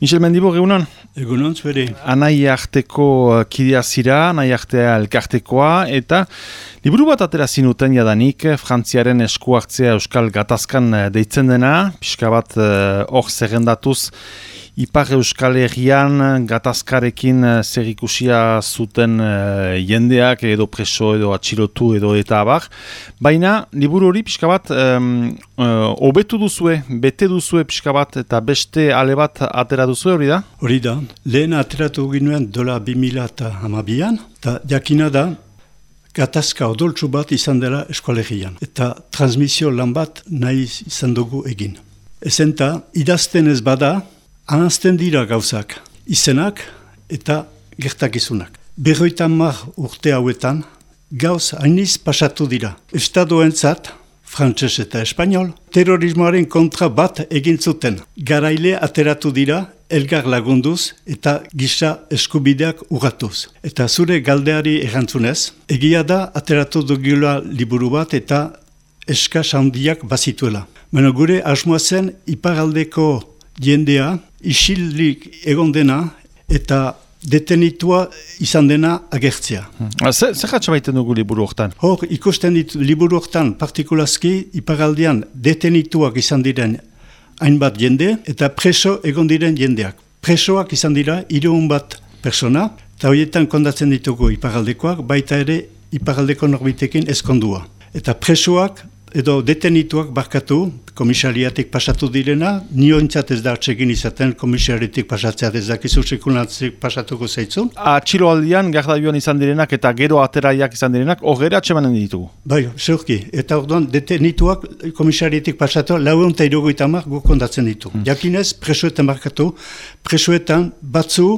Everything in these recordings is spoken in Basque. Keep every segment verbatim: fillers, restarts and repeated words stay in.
Michel Mendibor, egunon? Egunon, zuere. Anai arteko kidea zira, anai artea elkartekoa, eta liburu bat atera zinuten jadanik, Frantziaren esku hartzea Euskal Gatazkan deitzen dena, pixka bat hor uh, zerrendatuz, Ipar Euskal Herrian gatazkarekin zerikusia zuten uh, jendeak edo preso edo atxilotu edo eta abar. Baina, liburu hori pixka bat um, uh, obetu duzue, bete duzue pixka bat eta beste ale bat atera duzue hori da? Hori da. Lehen ateratu ginuen dola bi mila hamabian, eta jakina da gatazka odoltsu bat izan dela Euskal Herrian. Eta transmisio lan bat nahi izan dugu egin. Ezenta, idazten ez bada, ahazten dira gauzak, izenak eta gertakizunak. Berroita hamar urte hauetan, gauz hainiz pasatu dira. Estadoentzat, frantses eta espanol, terrorismoaren kontra bat egin zuten. Garaile ateratu dira, elgar lagunduz eta gisa eskubideak urratuz. Eta zure galdeari erantzunez, egia da ateratu dugula liburu bat eta eskas handiak bazituela. Baina gure asmoa zen iparaldeko jendea, isilik egon dena eta detenitua izan dena agertzea. Zer jatsa baiten dugu liburu hortan? Hor, ikusten ditu liburu hortan partikulazki iparaldean detenituak izan diren hainbat jende eta preso egon diren jendeak. Presoak izan dira hirurehun bat persona, eta horietan kondatzen ditugu iparaldekoak, baita ere iparaldeko norbitekin ezkondua. Eta presoak edo detenituak barkatu, komisariatik pasatu direna, nioentzat ez da hartzekin izaten komisariatik pasatzea ez dakizu sekunatzik pasatuko zeitzun. Atxiloaldian, gardaiuan izan direnak eta gero ateraiak izan direnak, hogera atxemanen ditugu. Bai, zeurki. Eta orduan, detenituak komisariatik pasatu, laueun eta irurogeita hamar guk kondatzen ditu. Hmm. Jakinez, presoetan barkatu, presoetan batzu,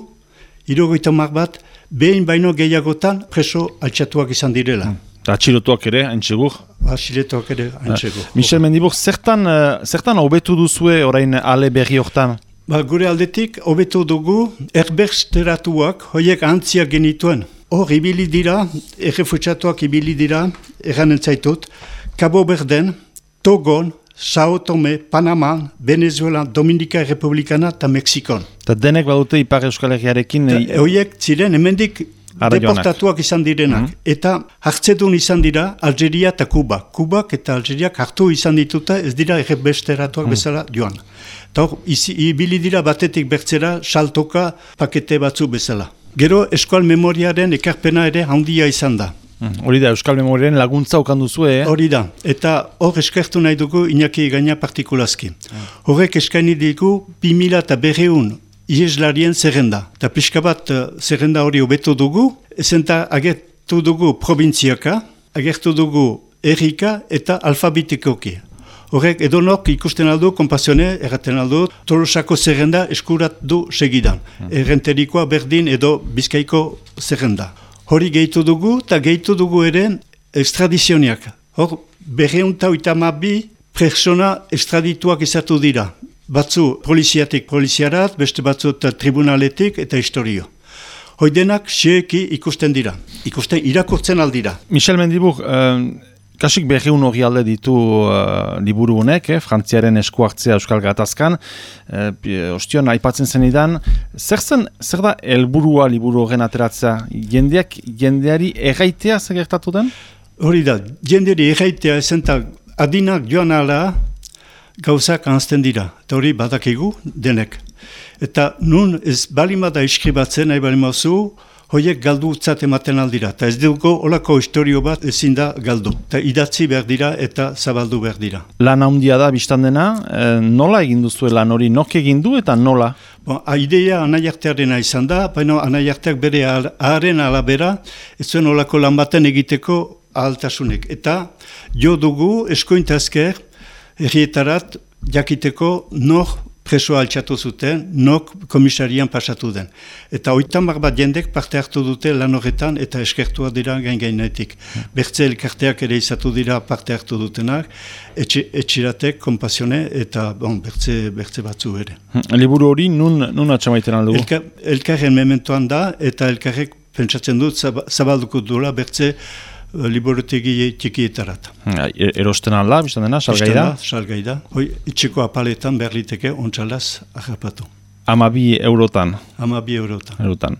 irurogeita hamar bat, behin baino gehiagotan preso altxatuak izan direla. Hmm. Atxilotuak ere, haintxegur? Atxilotuak ere, haintxegur. Michel Mendibor, zertan, uh, zertan hobetu duzue orain ale berri hortan? Ba, gure aldetik, hobetu dugu, erbersteratuak, hoiek antziak genituen. Hor, ibili dira, errefutsatuak ibili dira, erranen zaitut, Cabo Verden, Togon, Sao Tome, Panama, Venezuela, Dominika Republikana eta Mexikon. Eta denek badute Ipar Euskal Herriarekin... Hoiek ziren, hemendik deportatuak izan direnak, mm -hmm. eta hartzedun izan dira Algeria eta Kuba. Kubak eta Algeriak hartu izan dituta ez dira erbesteratuak mm -hmm. bezala joan. Eta hor, ibili dira batetik bertzera saltoka pakete batzu bezala. Gero Euskal Memoriaren ekarpena ere handia izan da. Hori da, Euskal Memoriaren laguntza okanduzu, eh? Hori da, eta hor eskertu nahi dugu Iñaki Gaina partikulazki. Horrek eskaini digu bi mila eta berreun ieslarien zerrenda. Eta pixka bat zerrenda hori hobetu dugu, ezenta agertu dugu probintziaka, agertu dugu errika eta alfabetikoki. Horrek edonok ikusten aldu, konpasione, erraten aldu, Tolosako zerrenda eskurat du segidan. Hmm. Errenterikoa berdin edo Bizkaiko zerrenda. Hori gehitu dugu, eta gehitu dugu ere extradizioniak. Hor, berreunta oitamabi persona extradituak izatu dira. Batzu poliziatik poliziarat, beste batzu tribunaletik eta historio. Hoidenak xeeki ikusten dira, ikusten irakurtzen aldira. Michel Mendibor, uh, kasik berriun hori alde ditu uh, liburu honek, eh, Frantziaren esku hartzea Euskal Gatazkan, uh, ostion aipatzen zenidan, zer zen, zer da helburua liburu horren ateratzea? Jendeak, jendeari erraitea zer gertatu den? Hori da, jendeari erraitea ezentak adinak joan ala, gauzak ahazten dira, eta hori badakigu denek. Eta nun ez balimada iskribatzen, nahi balimauzu, hoiek galdutzat ematen aldira. Eta ez dugu olako historio bat ezin da galdu. Eta idatzi behar dira eta zabaldu behar dira. Lan handia da biztan dena, e, nola egin duzu lan hori, nok egin du eta nola? Bon, idea anaiartearena izan da, baina anaiarteak bere aharen alabera, ez zuen olako lan baten egiteko ahaltasunek. Eta jo dugu eskointazker, herrietarat jakiteko nor presoa altxatu zuten, nok komisarian pasatu den. Eta oitamar bat jendek parte hartu dute lan horretan eta eskertua dira gain-gainetik. Bertze elkarteak ere izatu dira parte hartu dutenak, etxe, etxiratek, konpasione eta bon, bertze, bertze batzu ere. Liburu hori nun, nun atxamaiten aldugu? Elka, elkarren mementoan da eta elkarrek pentsatzen dut zabalduko duela bertze liburutegi txikietarat. Erosten alda, biztan dena, salgai da? Salgai da. Hoi, itxeko apaletan berliteke ontsalaz harrapatu. Amabi eurotan. Amabi eurotan. eurotan.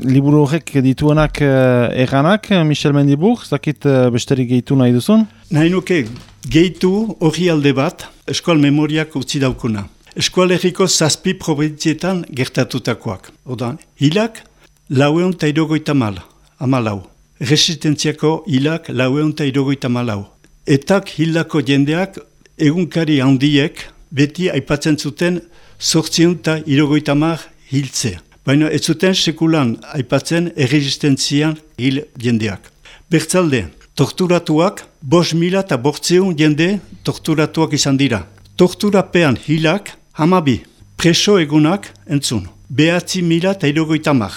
Liburu horrek dituenak uh, eganak, Michel Mendibur, zakit uh, besterik gehitu nahi duzun? Nahi nuke gehitu hori alde bat, eskual memoriak utzi daukuna. Eskualerriko zazpi provintzietan gertatutakoak. Odan, hilak laueun eta irogoita mal, amalau. Resistentziako hilak laueun eta irogoita malau. Etak hildako jendeak egunkari handiek beti aipatzen zuten zortziun eta irogoita mar hiltzea. Baina ez zuten sekulan aipatzen erresistentzian hil jendeak. Bertzalde, torturatuak, bos mila eta bortzeun jende torturatuak izan dira. Torturapean hilak, hamabi, preso egunak entzun. Behatzi mila eta irogoita mar.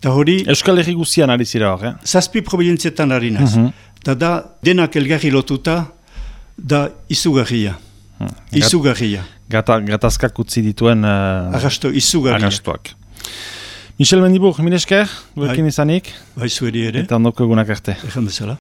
Hori, Euskal Herri guztian ari zira hor, eh? Zazpi provintzietan ari naz. Mhm. Eta da, denak elgarri lotuta, da izugarria. Hmm. Izugarria. Gata, gatazkak utzi dituen uh, Arrasto, izugarria. arrastoak. Michel Mendibur, mil esker, gurekin izanik, Bai zueri ere, eta ondoko egunak arte. egan bezala.